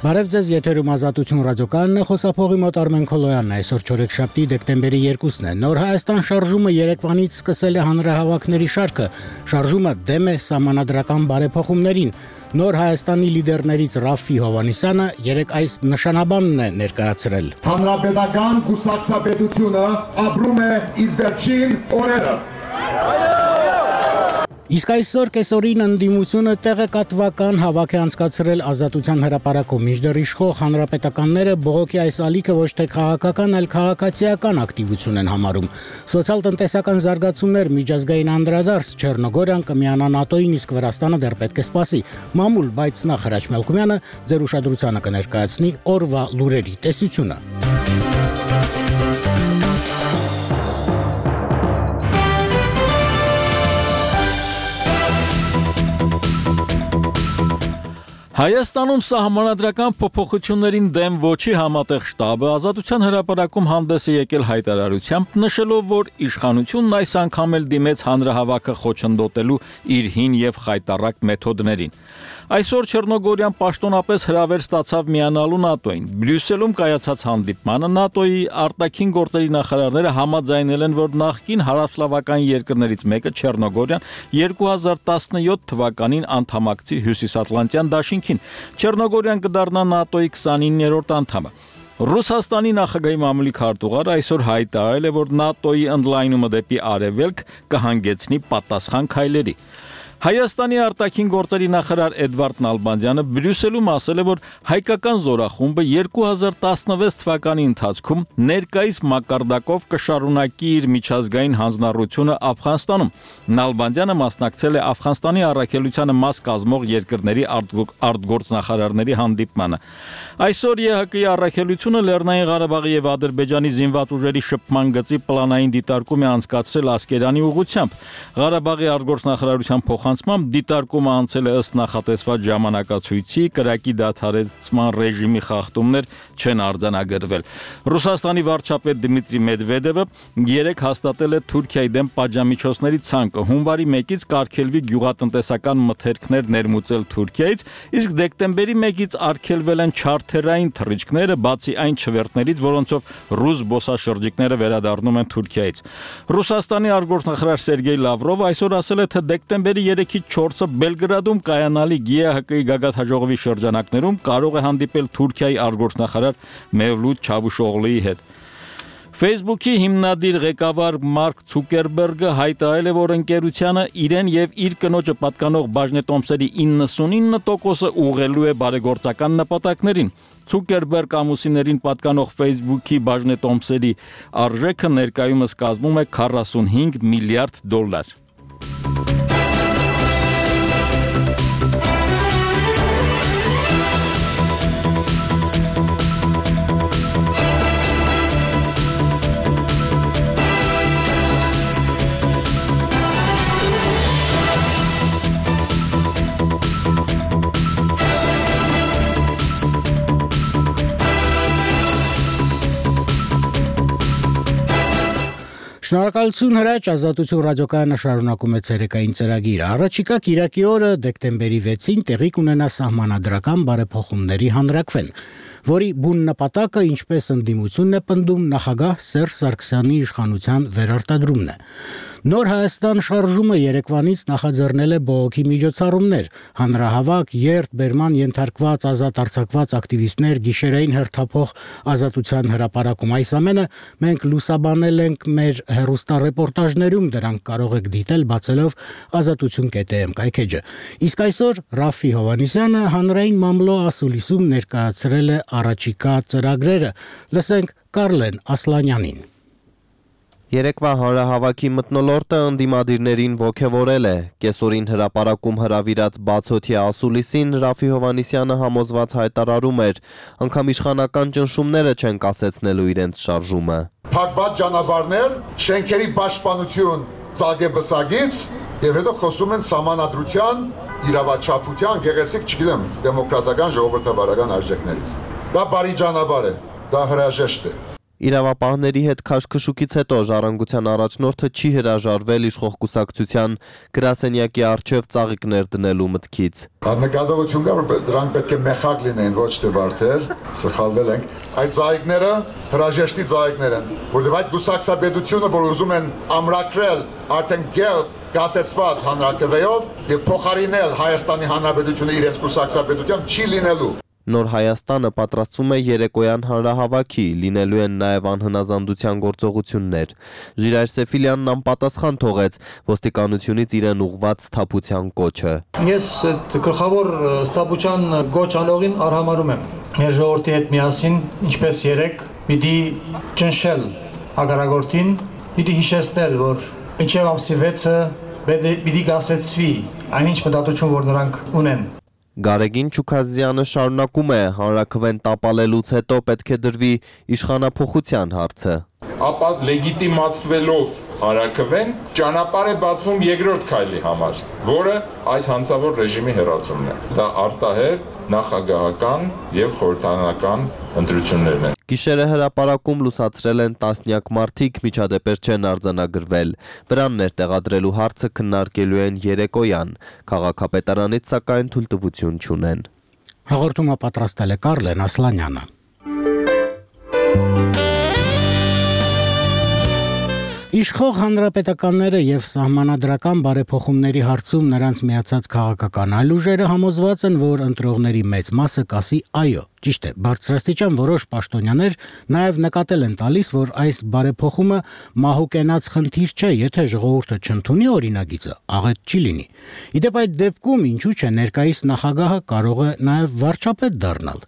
Բարև ձեզ, եթերում Ազատություն ռադիոկայանն է, խոսափողի մոտ Արմեն Քոլոյանն է, այսօր չորեքշաբթի դեկտեմբերի 2-ն է։ Նոր Հայաստան շարժումը Երևանից սկսել է հանրահավաքների շարքը։ Շարժումը դեմ է սահմանադրական բարեփոխումներին։ Նոր Հայաստանի լիդերներից Ռաֆֆի Հովհաննիսյանը երեկ այս նշանաբանն է ներկայացրել։ Հանրապետական կուսակցապետությունը ապրում է իր վերջին օրերը։ Իսկ այսօր կեսօրին ընդդիմությունը տեղեկատվական հավաք է անցկացրել Ազատության հրապարակում, մինչդեռ իշխող հանրապետականները բողոքի այս ալիքը ոչ թե քաղաքական, այլ քաղաքացիական ակտիվություն են համարում։ Սոցիալ-տնտեսական զարգացումներ, միջազգային անդրադարձ, Չեռնոգորիան կմիանա ՆԱՏՕ-ին, իսկ Վրաստանը դեռ պետք է սպասի։ Մամուլ, բայց նախ Հրաչ Մելքումյանը ձեր ուշադրությանը կներկայացնի օրվա լուրերի տեսությունը։ Հայաստանում սահմանադրական փոփոխություններին դեմ ոչի համատեղ շտաբը Ազատության հրապարակում հանդես է եկել հայտարարությամբ, նշելով, որ իշխանությունն այս անգամ էլ դիմեց հանրահավաքը խոչընդոտելու իր հին եւ խայտառակ մեթոդներին։ Այսօր Չեռնոգորիան պաշտոնապես հրավեր ստացավ միանալու ՆԱՏՕ-ին։ Բրյուսելում կայացած հանդիպմանը ՆԱՏՕ-ի արտաքին գործերի նախարարները համաձայնել են, որ նախկին հարավսլավական երկրներից մեկը Չեռնոգորիան 2017 թվականին անդամակցի Հյուսիսատլանտյան դաշինքին։ Չեռնոգորիան կդառնա ՆԱՏՕ-ի 29-րդ անդամը։ Ռուսաստանի նախագահի մամուլի քարտուղարը այսօր հայտարարել է, որ ՆԱՏՕ-ի ընդլայնումը դեպի արևելք կհանգեցնի պատասխան քայլերի։ Հայաստանի արտաքին գործերի նախարար Էդվարդ Նալբանդյանը Բրյուսելում ասել է, որ հայկական զորախումբը 2016 թվականի ընթացքում ներկայիս մակարդակով կշարունակի իր միջազգային հանձնառությունը Աֆղանստանում։ Նալբանդյանը մասնակցել է Աֆղանստանի առաքելությանը մաս կազմող երկրների արտգործնախարարների հանդիպմանը։ Այսօր ԵՀԿ-ի առաքելությունը Լեռնային Ղարաբաղի եւ Ադրբեջանի զինված ուժերի շփման գծի պլանային դիտարկում է անցկացրել Ասկերանի ուղղությամբ։ Ղարաբաղի արտգործնախարարության դիտարկումը անցել է ըստ նախատեսված ժամանակացույցի, կրակի դադարեցման ռեժիմի խախտումներ չեն արձանագրվել։ Ռուսաստանի վարչապետ Դմիտրի Մեդվեդևը երեկ հաստատել է Թուրքիայի դեմ պատժամիջոցների ցանկը հունվարի 1-ից կարգելվի գյուղատնտեսական մթերքներ ներմուծել Թուրքիայից, իսկ դեկտեմբերի 1-ից արգելվել են չարթերային թռիչքները, բացի այն չվերթներից, որոնցով ռուս զբոսաշրջիկները վերադառնում են Թուրքիայից։ Ռուսաստանի արտգործնախարար Սերգեյ Լավրովը այսօր ասել է, թե դեկտեմբերի 3-ից 4-ը Բելգրադում կայանալիք ԵՀԿ-ի գագաթնաժողովի շրջանակներում կարող է հանդիպել Թուրքիայի արտգործնախարար Մևլութ Չավուշօղլուի հետ։ Facebook-ի հիմնադիր ղեկավար Մարկ Ցուկերբերգը հայտարարել է, որ ընկերությանը իրեն եւ իր կնոջը պատկանող բաժնետոմսերի 99%-ը ուղղելու է բարեգործական նպատակներին։ Ցուկերբերգ ամուսիններին պատկանող Facebook-ի բաժնետոմսերի արժեքը ներկայումս կազմում է $45 միլիարդ։ Շնորհակալություն Հրաչ, Ազատություն ռադիոկայանը շարունակում է ցերեկային ծրագիրը։ Առաջիկա կիրակի օրը դեկտեմբերի 6-ին տեղի կունենա սահմանադրական բարեփոխումների հանրաքվեն, որի բուն նպատակը, ինչպես ընդդիմությունն է պնդում, նախագահ Սերժ Սարգսյանի իշխանության վերարտադրումն է։ Նոր Հայաստան շարժումը Երևանից նախաձեռնել է բողոքի միջոցառումներ, հանրահավաք, երթ, բերման ենթարկված ազատ արձակված ակտիվիստներ, գիշերային հերթափոխ Ազատության հրապարակում։ Այս ամենը մենք լուսաբանել ենք մեր հեռուստառեպորտաժներում, դրանք կարող եք դիտել բացելով azatutun.am կայքեջը։ Իսկ այսօր Ռաֆֆի Հովհաննիսյանը հանրային մամլո ասուլիսում ներկայացրել է առաջիկա ծրագրերը։ Լսենք Կարլեն Ասլանյանին։ Երեկվա հանրահավաքի մթնոլորտը ընդդիմադիրներին ոգևորել է։ Կեսօրին հրապարակում հրավիրած բացօթյա ասուլիսին Ռաֆֆի Հովհաննիսյանը համոզված հայտարարում էր, անգամ իշխանական ճնշումները չեն կասեցնելու իրենց շարժումը։ Փակված ճանապարհներ, շենքերի պաշտպանություն ծագեբսագից եւ հետո խոսում են սահմանադրության, իրավաչափության, գեղեցիկ, չգիտեմ, դեմոկրատական ժողովրդավարական արժեքներից։ Դա բարի ճանապարհ է, դա հրաժեշտ է։ Իրավապահների հետ քաշքշուկից հետո ժառանգության առաջնորդը չի հրաժարվել իշխող կուսակցության գրասենյակի առջև ծաղիկներ դնելու մտքից։ Նկատողություն կա, որ դրանք պետք է մեխակ լինեն, ոչ թե վարդեր, սխալվել ենք։ Այդ ծաղիկները հրաժեշտի ծաղիկներ են, որովհետև այդ կուսակցաբեդությունը, որ ուզում են ամրագրել արդեն գեղձ գասեցված հանրակրվեով եւ փոխարինել Հայաստանի Հանրապետությունը իրենց կուսակցաբեդությամբ չի լինելու։ Նոր Հայաստանը պատրաստվում է երեկոյան հանրահավաքի, լինելու են նաև անհնազանդության գործողություններ։ Ժիրայր Սեֆիլյանն անպատասխան թողեց ոստիկանությունից իրեն ուղղված սթափության կոչը։ Ես այդ գլխավոր սթափության կոչ անողին արհամարում եմ։ Մեր ժողովրդի հետ միասին, ինչպես երեք, պիտի ճնշել հակառակորդին, պիտի հիշեցնել, որ մինչև ամսի 6-ը պիտի գասեցվի այնինչ մտածություն, որ նրանք ունեն։ Գարեգին Չուքազյանը շարունակում է հանրաքվեն տապալելուց հետո պետք է դրվի իշխանափոխության հարցը։ Ապա լեգիտիմացվելով հանրաքվեն ճանապարհ է բացվում երկրորդ քայլի համար, որը այս հանցավոր ռեժիմի հեռացումն է։ Դա արտահերթ նախագահական եւ խորհրդարանական ընտրություններն են։ Գիշերը հրապարակում լուսացրել են տասնյակ մարդիկ, միջադեպեր չեն արձանագրվել։ Վրաններ տեղադրելու հարցը քննարկելու են երեկոյան։ Քաղաքապետարանից սակայն թույլտվություն չունեն։ Հաղորդումը պատրաստել է Կարլեն Ասլանյանը։ Իշխող հանրապետականները եւ սահմանադրական բարեփոխումների հարցում նրանց միացած քաղաքական այլ ուժերը համոզված են, որ ընտրողների մեծ մասը կասի այո։ Ճիշտ է, բարձրաստիճան որոշ պաշտոնյաներ նաև նկատել են տալիս, որ այս բարեփոխումը մահուկենաց խնդիր չէ, եթե ժողովուրդը չընդունի օրինագիծը, աղետ չի լինի։ Իդեպ այդ դեպքում ինչու՞ չէ ներկայիս նախագահը կարող է նաև վարչապետ դառնալ։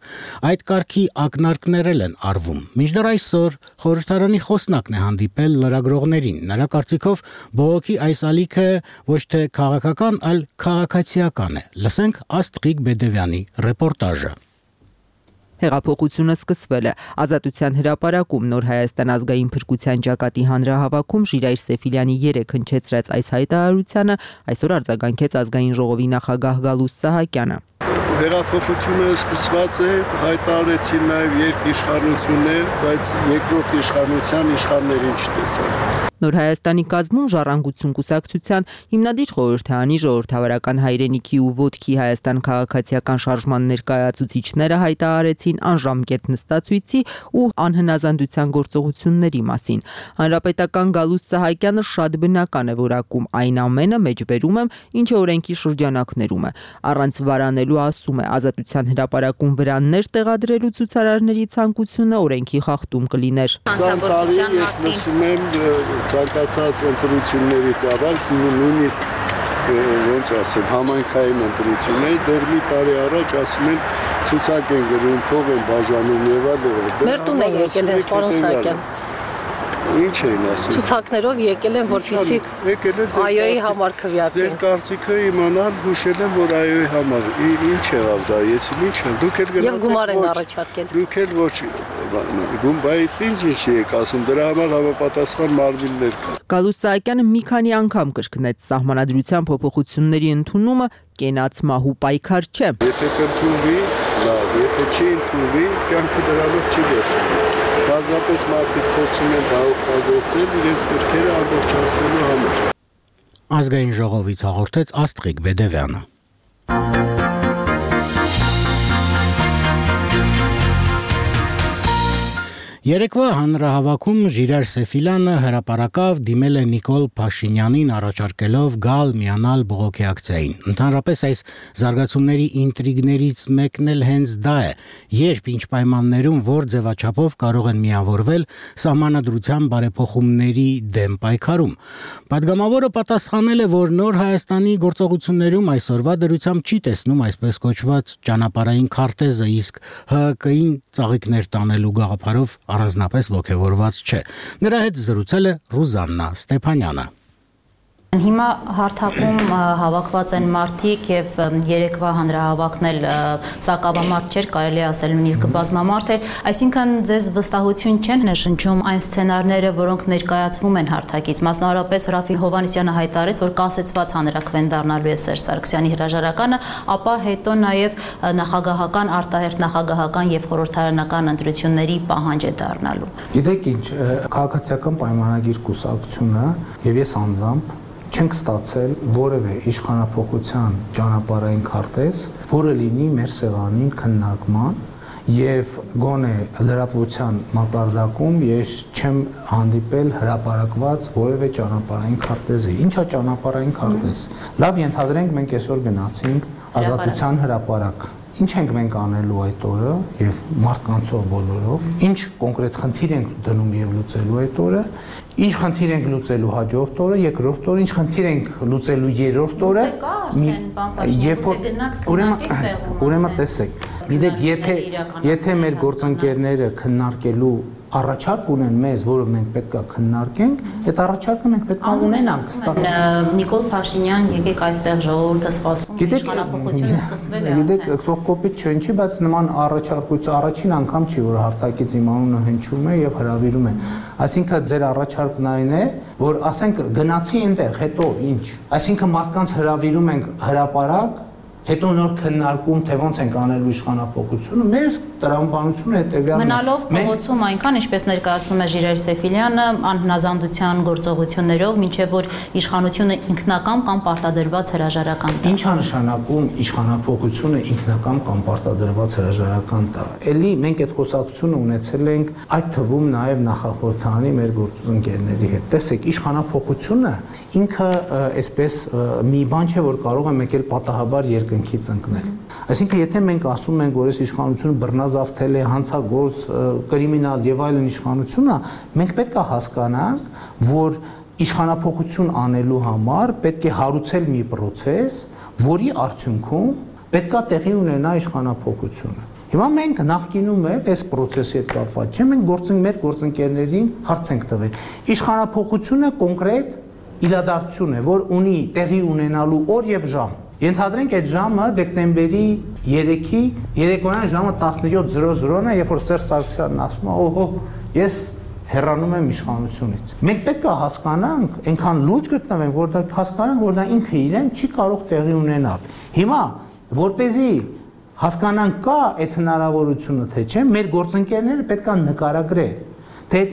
Այդ կարգի ակնարկներ են արվում։ Մինչդեռ այսօր խորհրդարանի խոսնակն է հանդիպել լրագրողներին։ Նրա կարծիքով բողոքի այս ալիքը ոչ թե քաղաքական, այլ քաղաքացիական է։ Լսենք Աստղիկ Բեդևյանի ռեպորտաժը։ Հեղափոխությունը սկսվել է։ Ազատության հրապարակում Նոր Հայաստան ազգային փրկության ճակատի հանրահավաքում Ժիրայր Սեֆիլյանի 3 հնչեցրած այս հայտարարությանը այսօր արձագանքեց ազգային ժողովի նախագահ Գալուստ Սահակյանը։ Հեղափոխությունը սկսված է, հայտարարեցին նաև երկիշխանություններ, բայց երկրորդ իշխանության իշխաններին չտեսան։ Նոր Հայաստանի կազմում Ժառանգություն կուսակցության հիմնադիր խորհրդարանի ժողովրդավարական հայրենիքի ու ոտքի Հայաստան քաղաքացիական շարժման ներկայացուցիչները հայտարարեցին անժամկետ նստածույցի ու անհնազանդության գործողությունների մասին։ Հանրապետական Գալուստ Սահակյանը շատ բնական է որակում այն ամենը մեջբերում եմ, ինչը օրենքի շրջանակներում է։ Առանց վարանելու ասում է Ազատության հրապարակում վրաններ տեղադրելու ցուցարարների ցանկությունը օրենքի խախտում կլիներ։ Հանցագործության մասին ցանկացած ընտրություններից առաջ նույնիսկ ոնց ասեմ համայնքային ընտրություններ դեռ մի տարի առաջ ասում են ցուցակ են գրում, փող են բաժանում եւ այլն։ Մեր տուն են եկել հենց պարոն Սահակյան։ Ինչ էին ասում։ Ցուցակներով եկել են, որպեսզի այոյի համար քվեարկեն։ Ձեր կարծիքը իմանալ, հուշել եմ, որ այոյի համար ինչ եղավ դա, ես ինչ եմ, դուք էլ գնացեք։ Եվ գումար են առաջարկել։ Դուք էլ ոչ բայց ինչ եք ասում, դրա համար համապատասխան մարմիններ կան։ Գալուստ Սահակյանը մի քանի անգամ կրկնեց սահմանադրության փոփոխությունների ընդունումը կենաց մահու պայքար չէ։ Եթե կընդունվի, լավ, եթե չի ընդունվի, կյանքը դրանով չի վերջանում։ Բազմապես մարդիկ փորձում են դա օգտագործել իրենց կրքերը ամբողջացնելու համար։ Ազգային ժողովից հաղորդեց Աստղիկ Բեդևյանը։ Երեկվա հանրահավաքում Ժիրայր Սեֆիլյանը հրապարակավ դիմել է Նիկոլ Փաշինյանին առաջարկելով գալ միանալ բողոքի ակցիային։ Ընդհանրապես այս զարգացումների ինտրիգներից մեկն էլ հենց դա է, երբ ինչ պայմաններում որ ձևաչափով կարող են միավորվել սահմանադրության բարեփոխումների դեմ պայքարում։ Պատգամավորը պատասխանել է, որ Նոր Հայաստանի գործողություններում այսօրվա դրությամբ չի տեսնում այսպես կոչված ճանապարհային քարտեզը, իսկ ՀԿ-ին ծաղիկներ տանելու գաղափարով առանձնապես ոգևորված չէ։ Նրա հետ զրուցել է Ռուզաննա Ստեփանյանը։ Հիմա հարթակում հավաքված են մարդիկ եւ երեկվա հանրահավաքն էլ սակավամարտ չէր, կարելի ասել նույնիսկ բազմամարտ էր, այսինքն ձեզ վստահություն չեն ներշնչում այն սցենարները, որոնք ներկայացվում են հարթակից, մասնավորապես Ռաֆիկ Հովհաննիսյանը հայտարարեց, որ կասեցված հանրաքվեն դառնալու է Սերժ Սարգսյանի հրաժարականը, ապա հետո նաեւ նախագահական, արտահերթ նախագահական եւ խորհրդարանական ընտրությունների պահանջ է դառնալու։ Գիտեք ինչ, քաղաքացիական պայմանագիր կուսակցությունը եւ ես անձամբ չենք ստացել որևէ իշխանափոխության ճանապարհային քարտեզ, որը լինի մեր սեղանին քննարկման եւ գոնե լրատվության մակարդակում ես չեմ հանդիպել հրապարակված որևէ ճանապարհային քարտեզի։ Ինչա ճանապարհային քարտեզ։ Լավ, ենթադրենք մենք այսօր գնացինք Ազատության հրապարակ։ Ինչ ենք մենք անելու այդ օրը եւ մարդկանցով բոլորով, ինչ կոնկրետ խնդիր ենք դնում եւ լուծելու այդ օրը, ինչ խնդիր ենք լուծելու հաջորդ օրը, երկրորդ օրը, ինչ խնդիր ենք լուծելու երրորդ օրը, ուրեմն տեսեք, գիտեք, եթե մեր գործընկերները քննարկելու առաջարկ ունեն մեզ, որը մենք պետք է քննարկենք, այդ առաջարկը մենք պետք է ունենանք։ Նիկոլ Փաշինյան, եկեք այստեղ ժողովուրդը սպասում է, իշխանափոխությունը սկսվել է։ Գիտեք, թող կոպիտ չհնչի, բայց նման առաջարկույց առաջին անգամ չի, որ հարթակից իմ անունը հնչում է եւ հրավիրում են։ Այսինքն ձեր առաջարկն այն է, որ ասենք գնացի այնտեղ, հետո ինչ։ Այսինքն մարդկանց հրավիրում ենք հրապարակ, հետո նոր քննարկում, թե ոնց ենք անելու իշխանափոխությունը, մեր տրամաբանությունը հետեւյալն է։ Մնալով փողոցում այնքան, ինչպես ներկայացնում է Ժիրայր Սեֆիլյանը, անհնազանդության գործողություններով, մինչև որ իշխանությունը ինքնական կամ պարտադրված հրաժարական տա։ Ինչ է նշանակում իշխանափոխությունը ինքնական կամ պարտադրված հրաժարական տա։ Էլի մենք այդ խոսակցությունը ունեցել ենք այդ թվում նաև նախախորհրդանի մեր գործընկերների հետ։ Տեսեք, իշխանափոխությունը ինքը այսպես մի բան չէ, որ կարող է մեկ էլ պատահաբար երկնքից ընկնել։ Այսինքն, եթե մենք ասում ենք, որ այս իշխանությունը բռնազավթել է, հանցագործ, կրիմինալ եւ այլն իշխանություն է, մենք պետք է հասկանանք, որ իշխանափոխություն անելու համար պետք է հարուցել մի process, որի արդյունքում պետք է տեղի ունենա իշխանափոխությունը։ Հիմա մենք նախկինում էլ այս process-ի հետ կապված չէ, մենք մեր գործընկերներին հարց ենք տվել։ Իշխանափոխությունը կոնկրետ իրադարձություն է, որ ունի տեղի ունենալու օր եւ ժամ։ Ենթադրենք այդ ժամը դեկտեմբերի 3-ի երեկոյան ժամը 17:00-ն է, երբ որ Սերժ Սարգսյանն ասում է, օհո, ես հեռանում եմ իշխանությունից։ Մենք պետք է հասկանանք, այնքան լուրջ գտնվենք, որ դա հասկանանք, որ դա ինքը իրեն չի կարող տեղի ունենալ։ Հիմա, որպեսզի հասկանանք կա այդ հնարավորությունը, թե չէ, մեր գործընկերները պետք է նկարագրեն, թե այդ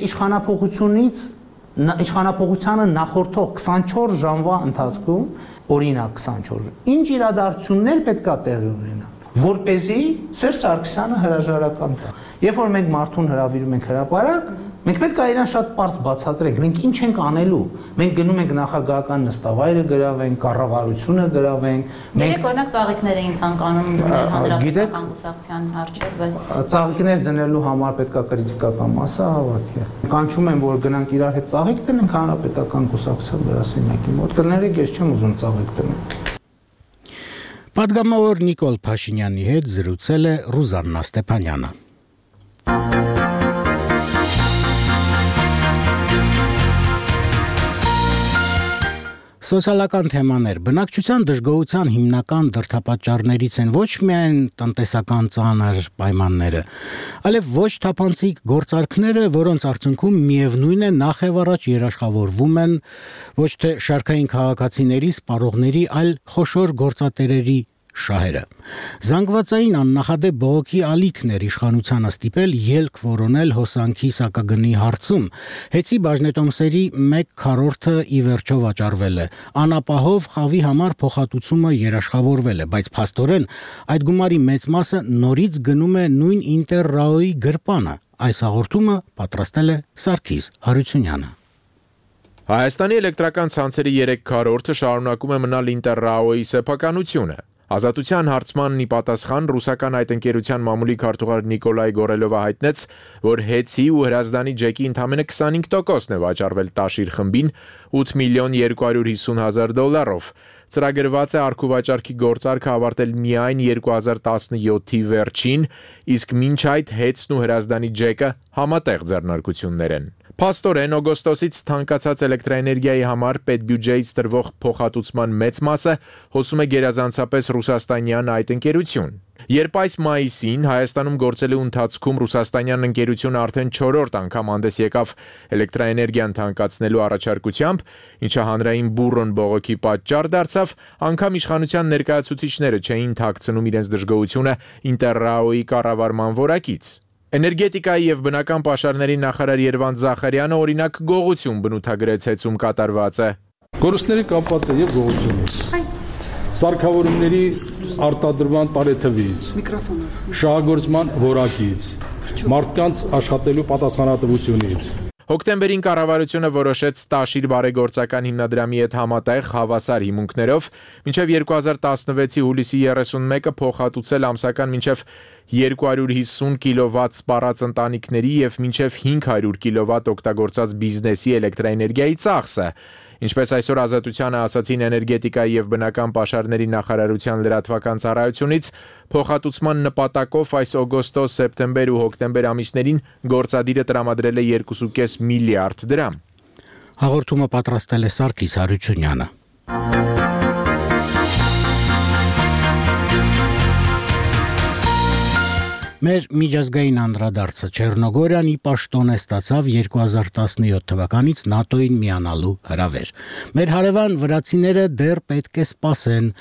իշխանափոխությանը նախորդող 24 ժամվա ընթացքում, օրինակ 24, ինչ իրադարձություններ պետք է տեղի ունենան, որպեսզի Սերժ Սարգսյանը հրաժարական տա։ Երբ որ մենք մարդուն հրավիրում ենք հրապարակ, մենք պետք է իրան շատ պարզ բացատրենք, մենք ինչ ենք անելու։ Մենք գնում ենք նախագահական նստավայրը գրավենք, կառավարությունը գրավենք։ Մենք օրինակ ծաղիկներ էին ցանկանում դնել հանրապետական կուսակցության առջև, բայց ծաղիկներ դնելու համար պետք է կրիտիկական մասը հավաքի։ Կանչում են, որ գնանք իրար հետ ծաղիկ դնենք հանրապետական կուսակցության գրասենյակի մոտ։ Կներեք, ես չեմ ուզում ծաղիկ դնել։ Պատգամավոր Նիկոլ Փաշինյանի հետ զրուցել է Ռուզաննա Ստեփանյանը։ Սոցիալական թեմաներ բնակչության դժգոհության հիմնական դրդապատճառներից են ոչ միայն տնտեսական ծանր պայմանները, այլև ոչ թափանցիկ գործարքները, որոնց արդյունքում միևնույն է նախ եւ առաջ երաշխավորվում են ոչ թե շարքային քաղաքացիների, սպառողների, այլ խոշոր գործատերերի շահերը։ Զանգվածային աննախադեպ բողոքի ալիքներ իշխանությանը ստիպել ելք որոնել հոսանքի սակագնի հարցում։ Հեծի բաժնետոմսերի 1/4-ը ի վերջո վաճառվել է։ Անապահով խավի համար փոխհատուցումը երաշխավորվել է, բայց փաստորեն այդ գումարի մեծ մասը նորից գնում է նույն Ինտերրաոյի գրպանը։ Այս հաղորդումը պատրաստել է Սարգիս Հարությունյանը։ Հայաստանի էլեկտրական ցանցերի 3/4-ը շարունակում է մնալ Ինտերրաոյի սեփականությունը։ Ազատության հարցմանն ի պատասխան ռուսական այդ ընկերության մամուլի քարտուղար Նիկոլայ Գորելովը հայտնեց, որ Հեցի ու Հրազդանի ջեկի ընդամենը 25%-ն է վաճառվել Տաշիր խմբին 8,250,000 դոլարով։ Ծրագրված է արքուվաճառքի գործարքը ավարտել միայն 2017-ի վերջին, իսկ մինչ այդ Հեցն ու Հրազդանի ջեկը համատեղ ձեռնարկություններ են։ Փաստորեն օգոստոսից թանկացած էլեկտրաէներգիայի համար պետբյուջեից տրվող փոխհատուցման մեծ մասը հոսում է գերազանցապես ռուսաստանյան այդ ընկերություն։ Երբ այս մայիսին Հայաստանում գործելու ընթացքում ռուսաստանյան ընկերությունը արդեն 4-րդ անգամ հանդես եկավ էլեկտրաէներգիան թանկացնելու առաջարկությամբ, ինչը հանրային բուռն բողոքի պատճառ դարձավ, անգամ իշխանության ներկայացուցիչները չէին թաքցնում իրենց դժգոհությունը Ինտերրաոյի կառավարման որակից։ Էներգետիկայի եւ բնական պաշարների նախարար Երվանդ Զախարյանը օրինակ գողություն բնութագրեց հեծում կատարվածը։ Գործների կապված է եւ գողությունից։ Սարքավորումների արտադրման տարեթվից, շահագործման որակից, մարդկանց աշխատելու պատասխանատվությունից։ Հոկտեմբերին կառավարությունը որոշեց Տաշիր բարեգործական հիմնադրամի հետ համատեղ հավասար հիմունքներով մինչև 2016-ի հուլիսի 31-ը փոխհատուցել ամսական մինչև 250 կիլովատ սպառած ընտանիքների եւ մինչև 500 կիլովատ օգտագործած բիզնեսի էլեկտրաէներգիայի ծախսը։ Ինչպես այսօր Ազատությանը ասացին էներգետիկայի եւ բնական պաշարների նախարարության լրատվական ծառայությունից, փոխհատուցման նպատակով այս օգոստոս, սեպտեմբեր ու հոկտեմբեր ամիսներին գործադիրը տրամադրել է 2.5 միլիարդ դրամ։ Հաղորդումը պատրաստել է Սարգիս Հարությունյանը։ Մեր միջազգային անդրադարձը Չեռնոգորիան ի պաշտոն է ստացավ 2017 թվականից ՆԱՏՕ-ին միանալու հրավեր։ Մեր հարևան վրացիները դեռ պետք է սպասեն։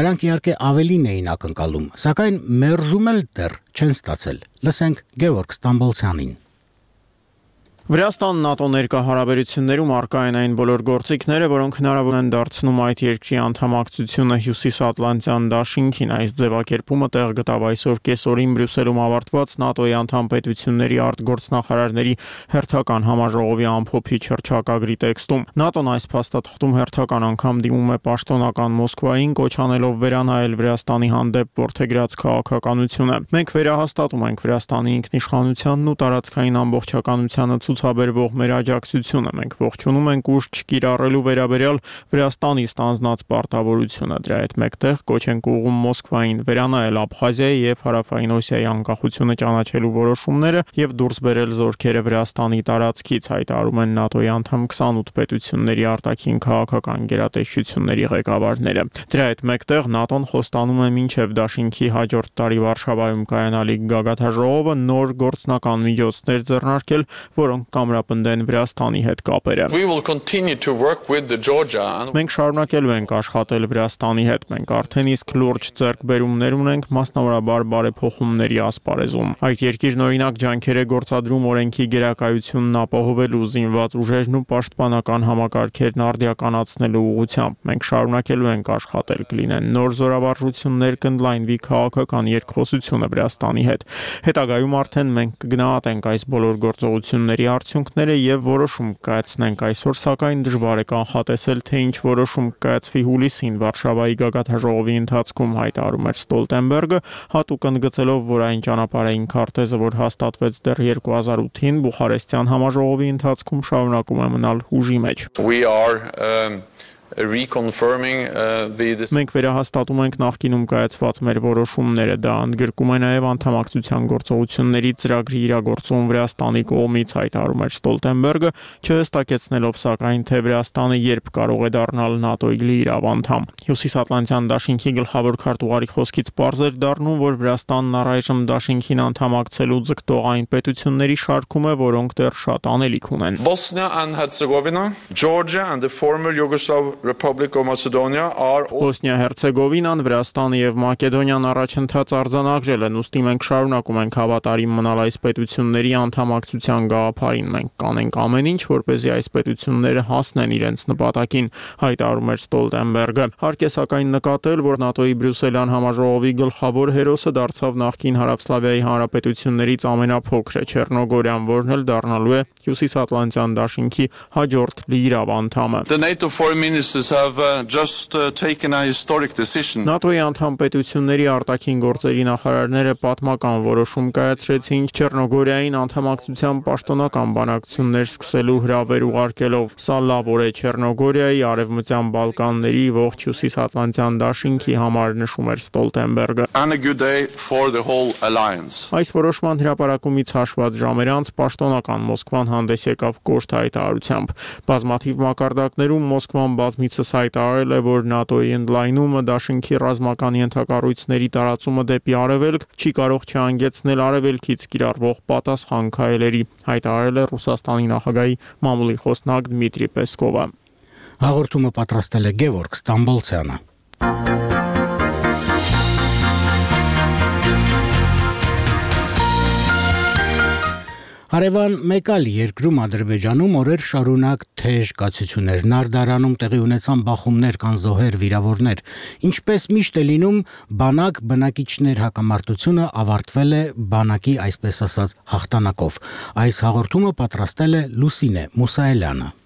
Նրանք իհարկե ավելին էին ակնկալում, սակայն մերժում էլ դեռ չեն ստացել։ Լսենք Գևորգ Ստամբոլցյանին։ Վրաստան ՆԱՏՕ ներկայահարաբերություններում առկա են այն բոլոր գործիքները, որոնք հնարավոր են դարձնում այդ երկրի անդամակցությունը Հյուսիսատլանտյան դաշինքին։ Այս ձևակերպումը տեղ գտավ այսօր կեսօրին Բրյուսելում ավարտված ՆԱՏՕ-ի անդամ պետությունների արտգործնախարարների հերթական համաժողովի ամփոփիչ հռչակագրի տեքստում։ ՆԱՏՕ-ն այս փաստաթղթում հերթական անգամ դիմում է պաշտոնական Մոսկվային, կոչ անելով վերանայել Վրաստանի հանդեպ որդեգրած քաղաքականությունը։ Մենք վերահաստատում ենք Վրաստանի ինքնիշխանությանն ու տարածքային ամբողջականությանը ցուցաբերվող մեր աջակցությունը։ Մենք ողջունում ենք ուժ չկիրառելու վերաբերյալ Վրաստանի ստանձնած պարտավորությունը։ Դրա հետ մեկտեղ կոչ ենք ուղղում Մոսկվային վերանայել Աբխազիայի եւ Հարավային Օսիայի անկախությունը ճանաչելու որոշումները եւ դուրս բերել զորքերը Վրաստանի տարածքից, հայտարարում են ՆԱՏՕ-ի անդամ 28 պետությունների արտաքին քաղաքական գերատեսչությունների ղեկավարները։ Դրա հետ մեկտեղ ՆԱՏՕ-ն խոստանում է մինչև դաշինքի հաջորդ տարի Վարշավայում կայանալիք գագաթաժողովը նոր գործնական միջոցներ ձեռնարկել, որոնք կամրապնդեն Վրաստանի հետ կապերը։ Մենք շարունակելու ենք աշխատել Վրաստանի հետ։ Մենք արդեն իսկ լուրջ ձեռքբերումներ ունենք, մասնավորաբար բարեփոխումների ասպարեզում։ Այդ երկիրն օրինակ ջանքեր է գործադրում օրենքի գերակայությունն ապահովելու, զինված ուժերն ու պաշտպանական համակարգերն արդիականացնելու ուղղությամբ։ Մենք շարունակելու ենք աշխատել, կլինեն նոր զորավարժություններ, կընդլայնվի քաղաքական երկխոսությունը Վրաստանի հետ։ Հետագայում արդեն մենք կգնահատենք այս բոլոր գործողությունների արդյունքները եւ որոշում կայացնենք։ Այսօր սակայն դժվար է կանխատեսել, թե ինչ որոշում կայացվի հուլիսին Վարշավայի գագաթաժողովի ընթացքում, հայտարարում էր Ստոլտենբերգը, հատուկ ընդգծելով, որ այն ճանապարհային քարտեզը, որ հաստատվեց դեռ 2008-ին Բուխարեստյան համաժողովի ընթացքում, շարունակում է մնալ հուժի մեջ։ Մենք վերահաստատում ենք նախկինում կայացված մեր որոշումները, դա ընդգրկում է նաև անդամակցության գործողությունների ծրագրի իրագործում Վրաստանի կողմից, հայտարարում էր Ստոլտենբերգը, չհստակեցնելով սակայն, թե Վրաստանը երբ կարող է դառնալ ՆԱՏՕ-ի լիիրավ անդամ։ Հյուսիսատլանտյան դաշինքի գլխավոր քարտուղարի խոսքից պարզ էր դառնում, որ Վրաստանն առայժմ դաշինքին անդամակցելու ձգտող այն պետությունների շարքում է, որոնք դեռ շատ անելիք ունեն։ Bosnia and Herzegovina, Georgia and the former Yugoslav Republic of Macedonia are Բոսնիա-Հերցեգովինան, Վրաստանը եւ Մակեդոնիան առաջընթաց արձանագրել են, ուստի մենք շարունակում ենք հավատարիմ մնալ այս պետությունների անդամակցության գաղափարին։ Մենք կանենք ամեն ինչ, որպեսզի այս պետությունները հասնեն իրենց նպատակին, հայտարարում էր Ստոլտենբերգը։ Հարկ է սակայն նկատել, որ ՆԱՏՕ-ի Բրյուսելյան համաժողովի գլխավոր հերոսը դարձավ նախկին Հարավսլավիայի հանրապետություններից ամենափոքրը Չեռնոգորիան, որն էլ դառնալու է Հյուսիսատլանտյան դաշինքի հաջորդ լիիրավ անդամը։ The NATO foreign minister forces have just taken a historic decision. ՆԱՏՕ-ի անդամ պետությունների արտաքին գործերի նախարարները պատմական որոշում կայացրեցին Չեռնոգորիային անդամակցության պաշտոնական բանակցություններ սկսելու հրավեր ուղարկելով։ Սա լավ օր է Չեռնոգորիայի, Արևմտյան Բալկանների, ողջ Հյուսիսատլանտյան դաշինքի համար, նշում էր Ստոլտենբերգը։ And a good day for the whole alliance. Այս որոշման հրապարակումից հաշված ժամեր անց պաշտոնական Մոսկվան հանդես եկավ կոշտ հայտարարությամբ։ Բազմաթիվ մակարդակներում Մոսկվան բազմիցս հայտարարել է, որ ՆԱՏՕ-ի ընդլայնումը, դաշինքի ռազմական ենթակառույցների տարածումը դեպի արևելք չի կարող չհանգեցնել արևելքից կիրառվող պատասխան քայլերի, հայտարարել է Ռուսաստանի նախագահի մամուլի խոսնակ Դմիտրի Պեսկովը։ Հաղորդումը պատրաստել է Գևորգ Ստամբոլցյանը։ Հարևան մեկ այլ երկրում Ադրբեջանում օրեր շարունակ թեժ կացություններ, Նարդարանում տեղի ունեցան բախումներ, կան զոհեր, վիրավորներ։ Ինչպես միշտ է լինում, բանակիչներ հակամարտությունը ավարտվել է բանակի, այսպես ասած, հաղթանակով։ Այս հաղորդումը պատրաստել է Լուսինե Մուսայելյանը։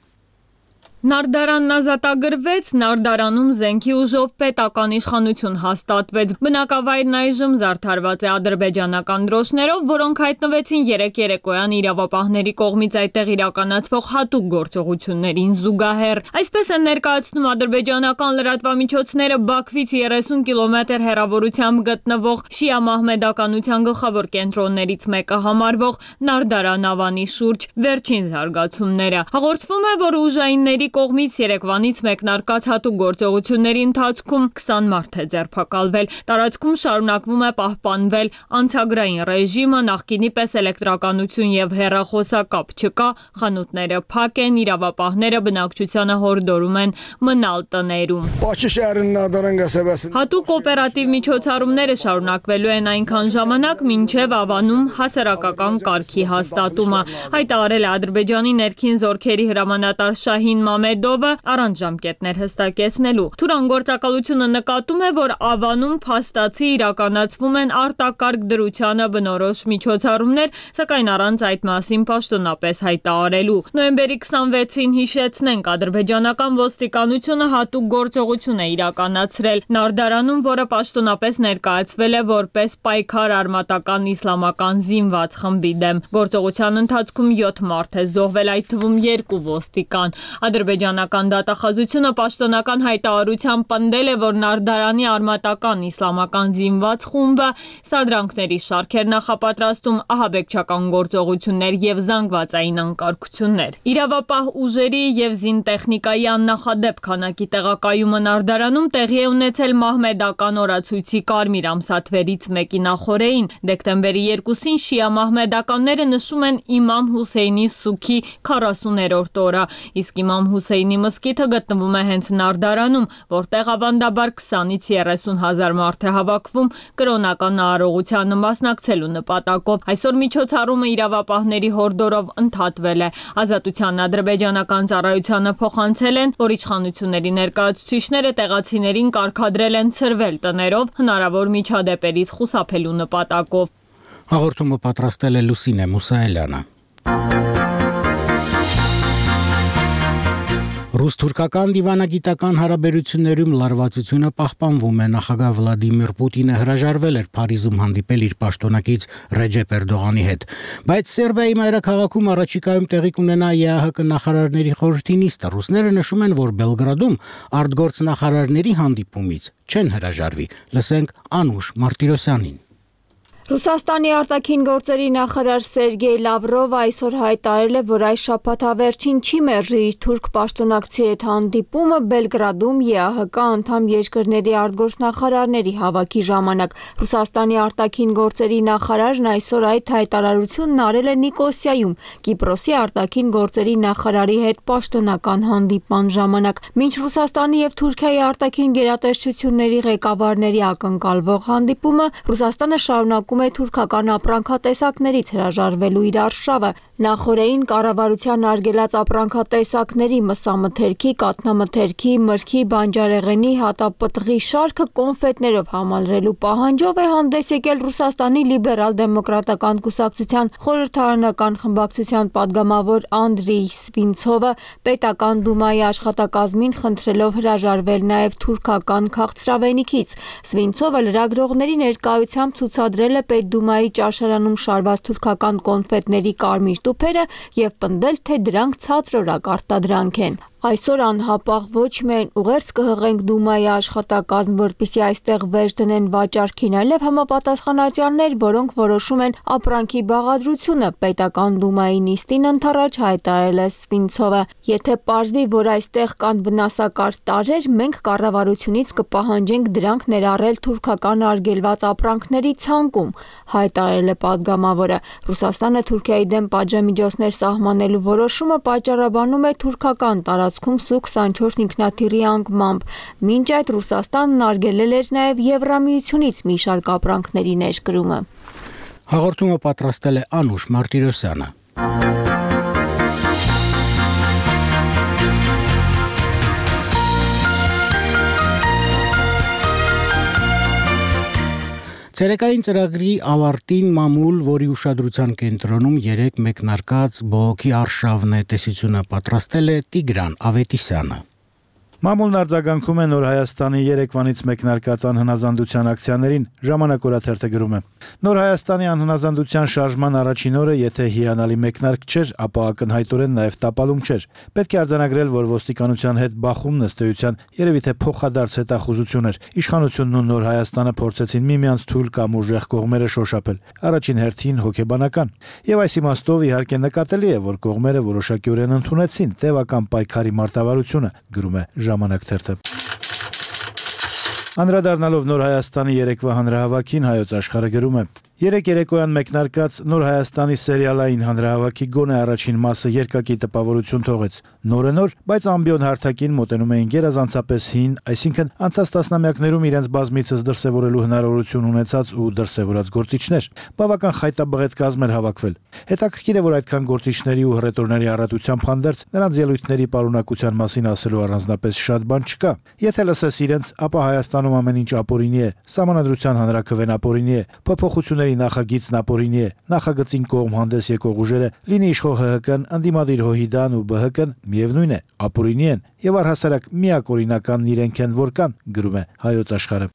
Նարդարանն ազատագրվեց, Նարդարանում զենքի ուժով պետական իշխանություն հաստատվեց։ Բնակավայրն այժմ զարդարված է ադրբեջանական դրոշներով, որոնք հայտնվեցին երեկ երեկոյան իրավապահների կողմից այդտեղ իրականացվող հատուկ գործողություններին զուգահեռ։ Այսպես են ներկայացնում ադրբեջանական լրատվամիջոցները Բաքվից 30 կիլոմետր հեռավորությամբ գտնվող շիա մահմեդականության գլխավոր կենտրոններից մեկը համարվող Նարդարան ավանի շուրջ վերջին զարգացումները։ Հաղորդվում է, որ ուժայինների կողմից երեկվանից մեկնարկած հատուկ գործողությունների ընթացքում 20 մարդ է ձերբակալվել։ Տարածքում շարունակվում է պահպանվել անցագրային ռեժիմը, նախկինի պես էլեկտրականություն եւ հեռախոսակապ չկա, խանութները փակ են, իրավապահները բնակչությանը հորդորում են մնալ տներում։ Հատուկ օպերատիվ միջոցառումները շարունակվելու են այնքան ժամանակ, մինչև ավանում հասարակական կարգի հաստատումը, հայտարարել է Ադրբեջանի ներքին զորքերի հրամանատար Շահին Մամեդովը առանց ժամկետներ հստակեցնելու։ Թուրան գործակալությունը նկատում է, որ ավանում փաստացի իրականացվում են արտակարգ դրությանը բնորոշ միջոցառումներ, սակայն առանց այդ մասին պաշտոնապես հայտարարելու։ Նոյեմբերի 26-ին հիշեցնենք, ադրբեջանական ոստիկանությունը հատուկ գործողություն է իրականացրել Նարդարանում, որը պաշտոնապես ներկայացվել է որպես պայքար արմատական իսլամական զինված խմբի դեմ։ Գործողության ընթացքում 7 մարդ է զոհվել, այդ թվում 2 ոստիկան։ Ադրբեջանական դատախազությունը պաշտոնական հայտարարությամբ պնդել է, որ Նարդարանի արմատական իսլամական զինված խումբը սադրանքների շարք էր նախապատրաստում, ահաբեկչական գործողություններ եւ զանգվածային անկարգություններ։ Իրավապահ ուժերի եւ զինտեխնիկայի աննախադեպ քանակի տեղակայումը Նարդարանում տեղի է ունեցել մահմեդական օրացույցի կարմիր ամսաթվերից մեկի նախօրեին։ Դեկտեմբերի 2-ին շիա մահմեդականները նշում են Իմամ Հուսեյնի սուքի 40-րդ օրը, իսկ Իմամ Հուսեյնի մզկիթը գտնվում է հենց Նարդարանում, որտեղ ավանդաբար 20-ից 30 հազար մարդ է հավաքվում կրոնական արարողությանը մասնակցելու նպատակով։ Այսօր միջոցառումը իրավապահների հորդորով ընդհատվել է։ Ազատության ադրբեջանական ծառայությանը փոխանցել են, որ իշխանությունների ներկայացուցիչները տեղացիներին կարգադրել են ցրվել տներով հնարավոր միջադեպերից խուսափելու նպատակով։ Հաղորդումը պատրաստել է Լուսինե Մուսայելյանը։ Ռուս-թուրքական դիվանագիտական հարաբերություններում լարվածությունը պահպանվում է։ Նախագահ Վլադիմիր Պուտինը հրաժարվել էր Փարիզում հանդիպել իր պաշտոնակից Ռեջեփ Էրդողանի հետ։ Բայց Սերբիայի մայրաքաղաքում առաջիկայում տեղի կունենա ԵԱՀԿ նախարարների խորհրդի նիստը։ Ռուսները նշում են, որ Բելգրադում արտգործնախարարների հանդիպումից չեն հրաժարվի։ Լսենք Անուշ Մարտիրոսյանին։ Ռուսաստանի արտաքին գործերի նախարար Սերգեյ Լավրովը այսօր հայտարարել է, որ այս շաբաթավերջին չի մերժի իր թուրք պաշտոնակցի հետ հանդիպումը Բելգրադում ԵԱՀԿ անդամ երկրների արտգործնախարարների հավաքի ժամանակ։ Ռուսաստանի արտաքին գործերի նախարարն այսօր այդ հայտարարությունն արել է Նիկոսիայում Կիպրոսի արտաքին գործերի նախարարի հետ պաշտոնական հանդիպման ժամանակ։ Մինչ Ռուսաստանի եւ Թուրքիայի արտաքին գերատեսչությունների ղեկավարների ակնկալվող հանդիպումը, Ռուսաստանը շարունակում նշանակում է թուրքական ապրանքատեսակներից հրաժարվելու իր արշավը։ Նախորդին կառավարության արգելած ապրանքատեսակների մսամթերքի, կաթնամթերքի, մրգի, բանջարեղենի, հատապտղի շարքը կոնֆետներով համալրելու պահանջով է հանդես եկել Ռուսաստանի լիբերալ-դեմոկրատական կուսակցության խորհրդարանական խմբակցության падգամավոր Անդրեյ Սվինցովը պետական դումայի աշխատակազմին խնդրելով հրաժարվել նաև թուրքական քաղցրավենիքից։ Սվինցովը լրագրողների ներկայությամբ ցուցադրել է Պետդումայի ճաշարանում շարված թուրքական կոնֆետների կարմիր տուփերը եւ պնդել, թե դրանք ցածրորակ արտադրանք են։ Այսօր անհապաղ ոչ միայն ուղերձ կհղենք Դումայի աշխատակազմ, որպեսզի այստեղ վերջ դնեն վաճառքին, այլև համապատասխանատյաններ, որոնք որոշում են ապրանքի բաղադրությունը, պետական Դումայի նիստին ընդառաջ հայտարարել է Սվինցովը։ Եթե պարզվի, որ այստեղ կան վնասակար տարրեր, մենք կառավարությունից կպահանջենք դրանք ներառել թուրքական արգելված ապրանքների ցանկում, հայտարարել է падգամավորը։ Ռուսաստանը Թուրքիայի դեմ պատժամիջոցներ սահմանելու որոշումը պատճառաբանում է թուրքական տարածքում Սու-24 ինքնաթիռի անկմամբ։ Մինչ այդ Ռուսաստանն արգելել էր նաև Եվրամիությունից մի շարք ապրանքների ներկրումը։ Հաղորդումը պատրաստել է Անուշ Մարտիրոսյանը։ Ցերեկային ծրագրի ավարտին մամուլ, որի ուշադրության կենտրոնում 3 մեկնարկած բողոքի արշավն է, տեսությունը պատրաստել է Տիգրան Ավետիսյանը։ Մամուլն արձագանքում է Նոր Հայաստանի երեկվանից մեկնարկած անհնազանդության ակցիաներին, Ժամանակ օրաթերթը գրում է. Նոր Հայաստանի անհնազանդության շարժման առաջին օրը, եթե հիանալի մեկնարկ չէր, ապա ակնհայտորեն նաև տապալում չէր։ Պետք է արձանագրել, որ ոստիկանության հետ բախումն ըստ էության երևի թե փոխադարձ հետախուզություն էր։ Իշխանությունն ու Նոր Հայաստանը փորձեցին միմյանց թույլ կամ ուժեղ կողմերը շոշափել, առաջին հերթին հոգեբանական։ Եվ այս իմաստով իհարկե նկատելի է, որ կողմերը որոշակիորեն ընդունեցին տևական պայքարի մարտավարությունը, գրում է Ժամանակ թերթը։ Անդրադառնալով Նոր Հայաստանի երեկվա հանրահավաքին Հայոց աշխարհը գրում է. Երեք երեկոյան մեկնարկած Նոր Հայաստանի սերիալային հանրահավաքի գոնե առաջին մասը երկակի տպավորություն թողեց։ Նորը նոր, բայց ամբիոն հարթակին մոտենում էին գերազանցապես հին, այսինքն անցած տասնամյակներում իրենց բազմիցս դրսևորելու հնարավորություն ունեցած ու դրսևորած գործիչներ։ Բավական խայտաբղետ կազմ էր հավաքվել։ Հետաքրքիր է, որ այդքան գործիչների ու հռետորների առատությամբ հանդերձ նրանց ելույթների պարունակության մասին ասելու առանձնապես շատ բան չկա։ Եթե լսես իրենց, ապա Հայաստանում ամեն ինչ ապօրինի է, Սահմանադրության հանրաքվեն ապօրինի է, փոփոխությունների նախագիծն ապօրինի է, նախագծին կողմ հանդես եկող ուժերը, լինի իշխող ՀՀԿ-ն, ընդդիմադիր ՀՅԴ-ն ու ԲՀԿ-ն միևնույն է, ապօրինի են եւ առհասարակ միակ օրինականն իրենք են, որ կան, գրում է Հայոց աշխարհը։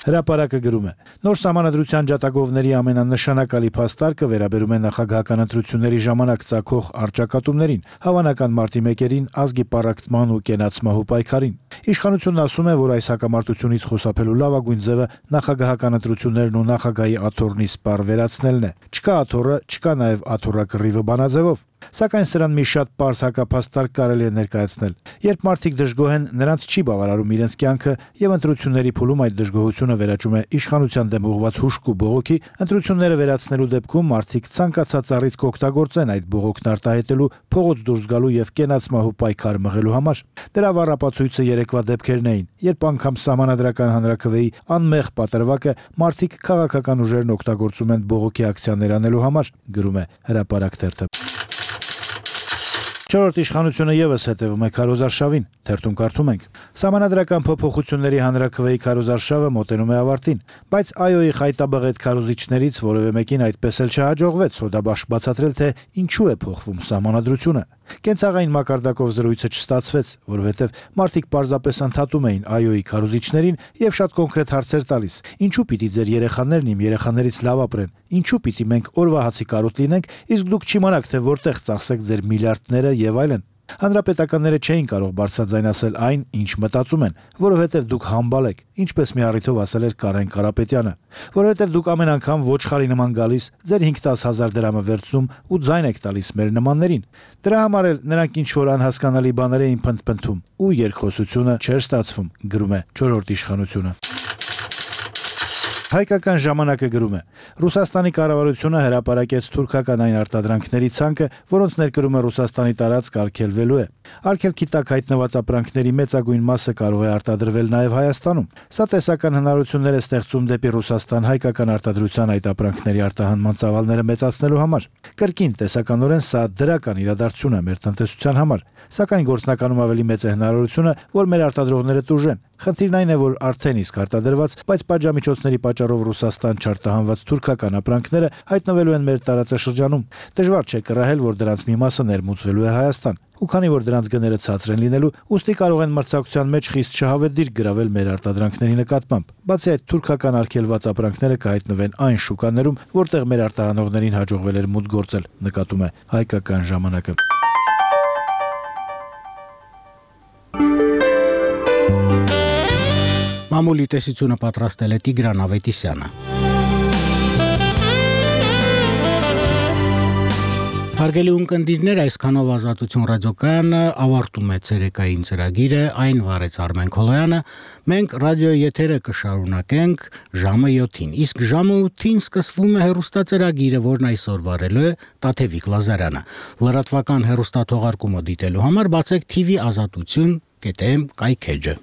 Հրապարակը գրում է. Նոր Սահմանադրության ջատագովների ամենանշանակալի փաստարկը վերաբերում է նախագահական ընտրությունների ժամանակ ծագող առճակատումներին, հավանական մարտի 1-ին ազգի պառակտման ու կենացմահու պայքարին։ Իշխանությունն ասում է, որ այս հակամարտությունից խուսափելու լավագույն ձևը նախագահական ընտրություններն ու նախագահի աթոռնի սպառ վերացնելն է։ Չկա աթոռը, չկա նաև աթոռակռիվը բանաձևով։ Սակայն սրան մի շատ պարզ հակափաստարկ կարելի է ներկայացնել։ Երբ մարդիկ դժգոհ են, նրանց չի բավարարում իրենց կյանքը եւ ընտրությունների փուլում այդ դժգոհությունը վերաճում է իշխանության դեմ ուղղված հուշք ու բողոքի, ընտրությունները վերացնելու դեպքում մարդիկ ցանկացած առիթ կօգտագործեն այդ բողոքն արտահայտելու, փողոց դուրս գալու եւ կենացմահու պայքար մղելու համար։ Դրա վառապացույցը երեկվա դեպքերն էին, երբ անգամ Սահմանադրական հանրաքվեի անմեղ պատրվակը մարդիկ քաղաքական ուժերն օգտագործում են բողոքի ակցիաներ անելու համար, գրում է Հրապարակ թերթը։ Չորրորդ իշխանությունը եւս հետևում է քարոզարշավին, թերթում կարդում ենք. Սահմանադրական փոփոխությունների հանրաքվեի քարոզարշավը մոտենում է ավարտին, բայց ԱՅՈ-ի խայտաբղետ քարոզիչներից որևէ մեկին այդպես էլ չհաջողվեց հոդաբաշխ բացատրել, թե ինչու է փոխվում սահմանադրությունը։ Կենցաղային մակարդակով զրույցը չստացվեց, որովհետև մարդիկ պարզապես ընդհատում էին ԱՅՈ-ի քարոզիչներին եւ շատ կոնկրետ հարցեր տալիս. ինչու պիտի ձեր երեխաներն իմ երեխաներից լավ ապրեն, ինչու պիտի մենք օրվա հացի կարոտ լինենք, իսկ դուք չիմանաք, թե որտեղ ծախսեք ձեր միլիարդները եւ այլն։ Հանրապետականները չէին կարող բարձրաձայն ասել այն, ինչ մտածում են, որովհետև դուք համբալ եք, ինչպես մի առիթով ասել էր Կարեն Կարապետյանը, որովհետև դուք ամեն անգամ ոչխարի նման գալիս, ձեր 5-10 հազար դրամը վերցնում ու ձայն եք տալիս մեր նմաններին։ Դրա համար էլ նրանք ինչ-որ անհասկանալի բաներ էին փնթփնթում ու երկխոսությունը չէր ստացվում, գրում է 4-րդ իշխանությունը։ Հայկական ժամանակը գրում է. Ռուսաստանի կառավարությունը հրապարակեց թուրքական այն արտադրանքների ցանկը, որոնց ներկրումը Ռուսաստանի տարածք արգելվելու է։ Արգելքի տակ հայտնված ապրանքների մեծագույն մասը կարող է արտադրվել նաև Հայաստանում։ Սա տեսական հնարավորություններ է ստեղծում դեպի Ռուսաստան հայկական արտադրության այդ ապրանքների արտահանման ծավալները մեծացնելու համար։ Կրկին տեսականորեն սա դրական իրադարձություն է մեր տնտեսության համար, սակայն գործնականում ավելի մեծ է հնարավորությունը, որ մեր արտադրողները տուժեն։ Խնդիրն այն է, որ արդեն իսկ արտադրված, բայց պատժամիջոցների պատճառով Ռուսաստան չարտահանված թուրքական ապրանքները հայտնվելու են մեր տարածաշրջանում։ Դժվար չէ կռահել, որ դրանց մի մասը ներմուծվելու է Հայաստան։ Ու քանի որ դրանց գները ցածր են լինելու, ուստի կարող են մրցակցության մեջ խիստ շահավետ գրավել մեր արտադրանքների նկատմամբ։ Բացի այդ, թուրքական արգելված ապրանքները կհայտնվեն այն շուկաներում, որտեղ մեր արտահանողներին հաջողվել էր մուտք գործել, նկատում է Հայկական ժամանակը։ Մամուլի տեսությունը պատրաստել է Տիգրան Ավետիսյանը։ Հարգելի ունկնդիրներ, այսքանով Ազատություն ռադիոկայանը ավարտում է ցերեկային ծրագիրը, այն վարեց Արմեն Քոլոյանը։ Մենք ռադիոյի եթերը կշարունակենք ժամը 7-ին, իսկ ժամը 8-ին սկսվում է հեռուստածրագիրը, որն այսօր վարելու է Տաթևիկ Լազարյանը։ Լրատվական հեռուստաթողարկումը դիտելու համար բացեք TV Ազատություն.am կայքեջը։